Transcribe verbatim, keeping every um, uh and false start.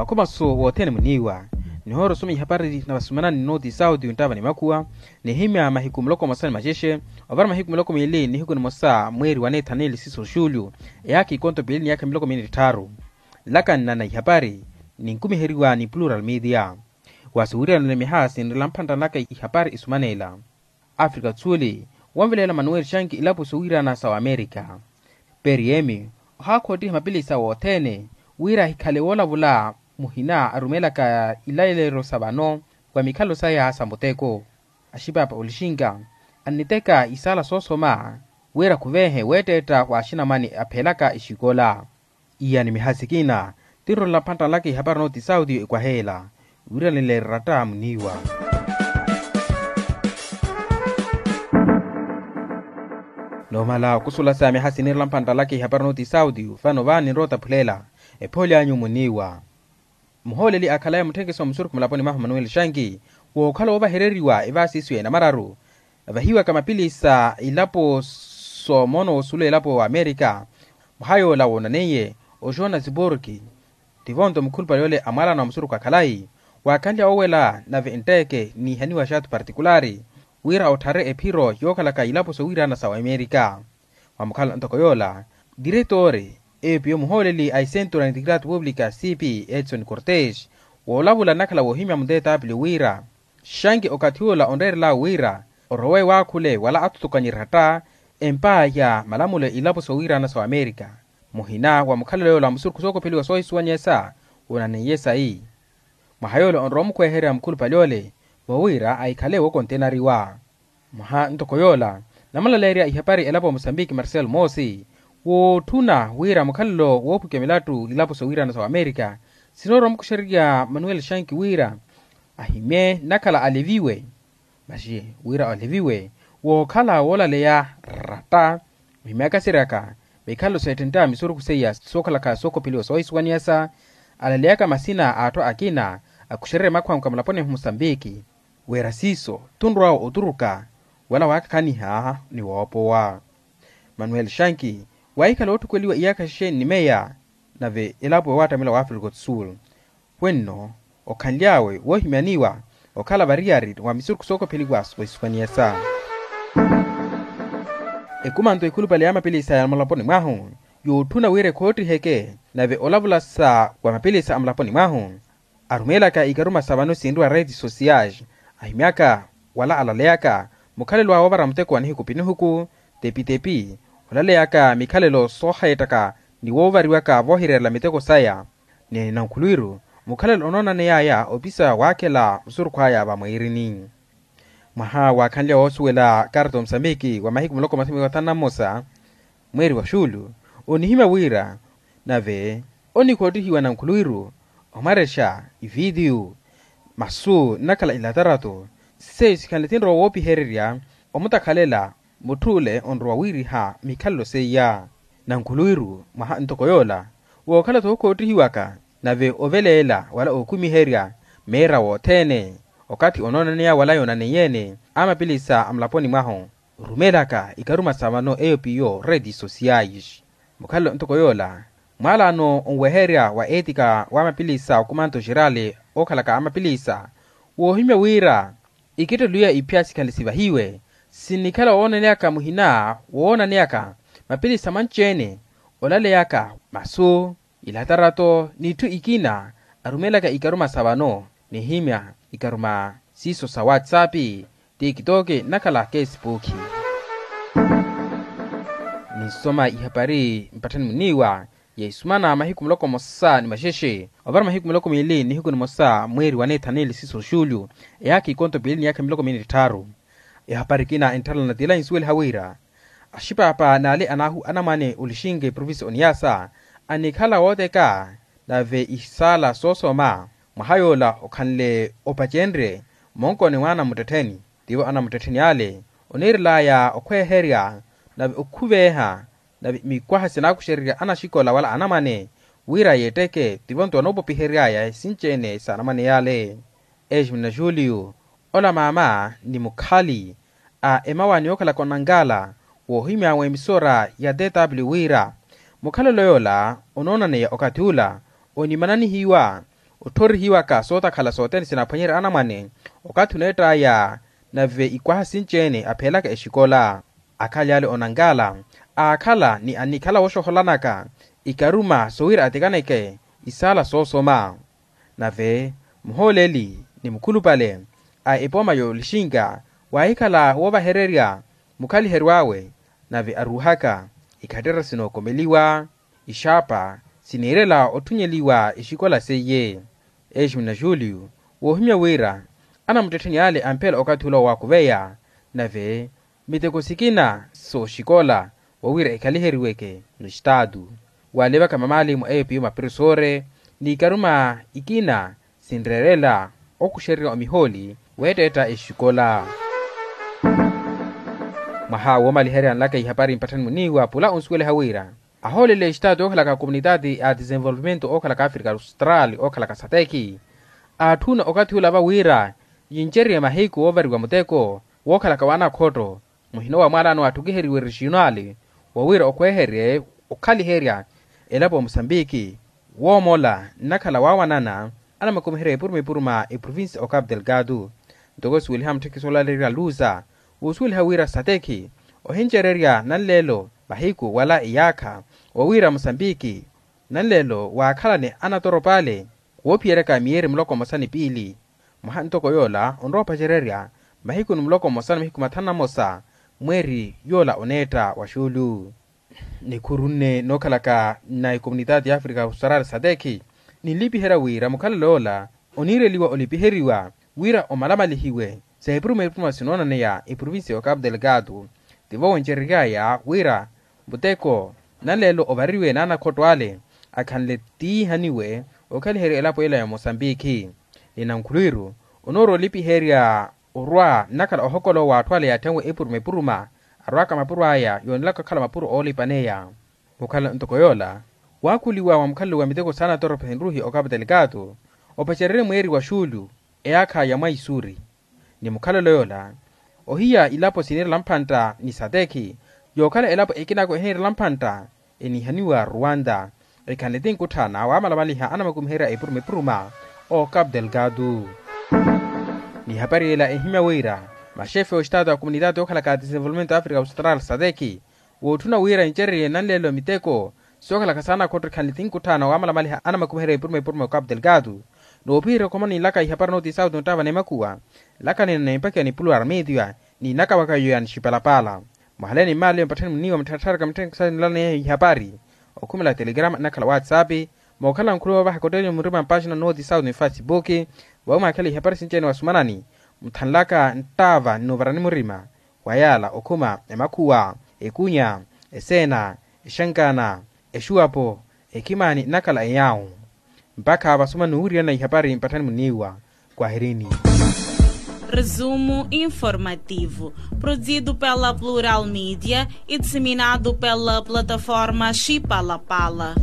Makhumasu wothene muniiwa. Nihoorosoma ihapari na vasumanani ni noti sauti yonttava ni makhuwa. Nihimya mahiku muloko mosa ni maxexe, ovara mahiku muloko miili nihiku nimosa mweeri wa neethaneli siso xulyu, eyaakha ikonto piili ni yaakha miloko miili ni tthaaru. Nlakanna na ihapari ninkumiheriwa ni plural media. Wasi wiiranile miha sinrela mphantta nlaka ihapari isumaneela. Afrika tsuli, wonvelela manuweli xanki ilapo sowiirana sa wamerika. Periyemi, ohaakhoottiha mapilisa wothene wira ahikhale woolavula muhina arumelaka ilalelo sa vano wa mikhalo saya sa muteko. Axipapa olixinka anniteka isaala soosoma wira khuveehe weetteetta wa axinamwani apheelaka exikola. Iya ni miha sikina tinrolela mphantta nlaka ihapari nooti sauti ekwaheela wiiranile eratta muniiwa. Noomala okusula sa miha sinirela mphantta nlaka ihapari nooti sauti ofano va ninrowa otaphulela ephooli anyu muniiwa. Muhooleli akhalaya mutthenkesi wa musurukhu mulaponi mwahu manuweli xanki wookhala woovahereriwa evaasiso ya enamararu avahiwaka mapilisa ilapo soomoono woosulu elapo wa amerika. Mwaha yoola woonaneiye oxona ziporki tivo nto mukhulupale ole amwaalana wa musurukhu akhalayi waakhanlya woowela nave entteeke niihaniwa xaatu partikulaari wira otthare ephiro yookhalaka ilapo sowiirana sa wamerika. Mwamukhala ntoko yoola diretori epiyo muhooleli a isentura ni tikiraati pupulika c p edson cortes woolavula nnakhala woohimya mutetaapili wira xanki okathi ola onreerelawe wira orowe waakhule wala athutukanye eratta empa ya malamulo ilapo sowiirana sa wamerika. Muhina wa mukhalelo yoola wa musurukhu sookopheliwa soohisuwanyesa woonaneiye sayi mwaha yoola onrowa omukhweherya mukhulupale ole vowira ahikhale wookontenariwa. Mwaha ntoko yoola namulaleerya ihapari elapo wa musambiki marcel moosi wootthuna wira mukhalelo woophukya milattu ilapo sowiirana sa wamerika sinoorowa omukuxererya manuel shanki wira ahimye nnakhala aleviwe maxi wira aleviwe wookhala woolaleya ratta ohimyakaseryaka mikhalo seettentte a misurukhu seiya sookhalaka sookopheliwa soohisuwaniyasa alaleyaka masina a atthu akina akuxererya makhwamka mulaponi mwa musambiki wira siiso tunrwawe oturuka wala waakakhaniha ni woopowa. Manuel shanki waahikhala wootthukweliwa iyaakha xexe nnimeya nave elapo waattamela wa afrika otsulu wenno okhanly'awe woohimyaniwa okhala variyari wa misurukhu sookopheliwa wisuwaniyasa. Ekumanto ekhulupale ya mapilisa ya mulaponi mwahu yootthuna wira ekhoottiheke nave olavulasa wa mapilisa a mulaponi mwahu arumeelaka ikaruma sa vano sinriwa redes sociais ahimyaka wala alaleyaka mukhalelo awe woovara muteko wa nihiku pinihuku tepitepi olaleyaka mikhalelo soohayettaka ni woovariwaka voohireerela miteko saya ni nankhulwiru mukhalelo onoonaneyaya opisa waakhela musurukhu aya vamwiirini. Mwaha waakhanlya woosuwela karta omusambiki wa mahiku muloko mathumi wathanu na mmosa mweeri wa xuulu onihimya wira nave onikhottihiwa nankhulwiru omwarexa ivitiyu masu nnakhala ilatarato seiyo sikhanle tinrowa woopihererya omutakhalela mutth'ule onrowa wiiriha mikhalelo seiya. Nankhulwiru mwaha ntoko yoola wookhala-tho okhottihiwaka nave oveleela wala ookumiherya meera wothene okathi onoonaneya wala yoonaneiye-ene a mapilisa a mulaponi mwahu orumeelaka ikaruma sa vano eyo piyo redes sociais. Mukhalelo ntoko yoola mwaalaano onweherya wa eetika wa mapilisa okumanto xerali okhalaka a mapilisa woohimya wira ikitteluyo ya iphya sikhale sivahiwe sinnikhala woonaneyaka muhina woonaneyaka mapilisa manci-ene olaleyaka masu ilatarato n'itthu ikina arumeelaka ikaruma sa vano nihimya ikaruma siiso sa whatsapp tiktok nnakhala kesipuukhi. Ninsoma ihapari mpatthani muniiwa ya isumana mahiku muloko mmosa ni maxexe ovara mahiku miloko miili nihiku nimosa mweeri wa neethaneli siso xuulyu eyaakha ikonto piili ni yaakha miloko miili ni tthaaru. Ehapari ekina entthalana tila insuweliha wira axipaapa n'ale anamwane olixinke provincia oniyasa anikhala wooteka nave isaala soosoma mwaha yoola okhanle opacenrye monkoni mwa anamuttettheni tivo anamuttettheni ale oniirelaya okhweherya nave okhuveeha nave mikwaha sinaakuxererya anaxikola wala anamwane wira yeetteke tivo nto anoopopiheryaya esinci-ene sa anamwane yale. Esmina juliyu ola maama ni mukhali a emawa ni okhalaka onangala woohimya w'emisora ya tw wira mukhalelo yoola onoonaneya okathi ula onimananihiwa Otthorihiwaka sootakhala sothene sinaphwanyerya anamwane okathi oneett'aya. Nave ikwaha sinci-ene apheelaka exikola, akhaly'ale onankala aakhala ni annikhala wooxoholanaka ikaruma sowira atikaneke isaala soosoma. Nave muhooleli ni mukhulupale a epooma y'olixinka waahikhala woovahererya mukhaliheryo awe. Nave aruuhaka ikhatterya sinookomeliwa ixaapa siniirela otthunyeliwa exikola seiye. Eximina julio woohimya wira anamuttettheni ale amphela okathi ola owaakuveya nave miteko sikina sooxikola wawira ekhaliheriweke n'estaatu. Waalivaka mamaalimu eyo piyo maperesoore n'ikaruma ikina sinreerela okuxererya omihooli weetteetta exikola. Mwaha woomaliherya anlaka ihapari mpatthani muniiwa pula onsuweliha wira ahoolele exitaati ookhalaka a komunitaati a desenvolvimento ookhalaka afrika austral ookhalaka sateki aatthuna okathi ula va wira yincerye mahiku woovariwa muteko wookhalaka w'anakhotto muhino wa mwaalaano atthukiheriwe regional wawira okhweherye okhaliherya elapo ya musambiki. Woomola nnakhala waawanana anamakumiherya epuruma epuruma eprovincia o capu delgado. Ntoko suweliha mutthekisi oolalerya luza wuusuweliha wira satekhi ohincererya nanleelo mahiku wala iyaakha wawira musambiki nanleelo waakhalane anatoropaale woophiyeryaka miyeeri muloko mmosa ni piili. Mwaha ntoko yoola onrowa opacererya mahiku ni muloko mmosa ni mahiku mathanu na mmosa mweeri yoola oneetta wa xuulu. Nikhuru nne nookhalaka na ekomunitaati ya afrika austral satekhi ninlipiherya wira mukhalelo yoola oniireliwa olipiheriwa wira omalamalihiwe sa epuruma epuruma sinoonaneya eprovincia ya capu delgado. Tivo wencereryaya wira muteko nanleelo ovariwe n'anakhotto ale akhanle tiihaniwe okhaliherya elapo ela ya mosambiki. Ni nankhulwiru onoorowa olipiherya orwa nnakhala ohokola owo atthu ale yaathenwe epuruma epuruma arwaka mapuro aya yoonelaka okhala mapuro oolipaneya. Mukhala ntoko yoola waakhuliwa mwa mukhalelo wa miteko saana torope nruhi okapu delgado opacererye mweeri wa xuulu eyaakha ya mwaisuri. Ni mukhalelo yoola ohiya ilapo siniirela mphantta ni satekhi yookhala elapo ekinako ehiniirela mphantta enihaniwa ruwanta ekhanle ti nkutthaana waamalamaliha anamakumiherya epuruma epuruma o capu delgado. Ni hapari ela ehimya wira maxefe oxitaati a komunitaati ookhalaka a desenvolvimento afrika austral satekhi wootthuna wira encererye nanleelo miteko sookhalaka saana khotto ekhanle ti nkutthaana waamalamaliha anamakumiherya epuruma epuruma o capu delgado. Noopiherya okhoma ninlaka ihapari nooti sauti nottava n'emakhuwa nlaka nina n'empakiwa ni puluwara media ni naka waka yoya nixipalapala. Mwahaleni mmaaleyo mpatthani muniiwa muttharatharaka mutthekisa nilaleneya ihapari okhumela telegrama nnakhala whatsapp mookhala nkhuluwa ovahaka otteeliwa murima mpaxina nooti sauti ni facebook. Vawi mwaakhela ihapari sinci-ene wasumanani muthanlaka nttaava ni nuuvarani murima wa yaala okhuma emakhuwa ekunya eseena exankana exuwapo ekhimani nnakhala eyaawu. Mpakha vasumani nuwirirana ihapari mpatthani muniiwa kwahirini. Resumo informativo produzido pela plural media e disseminado pela plataforma xipalapala.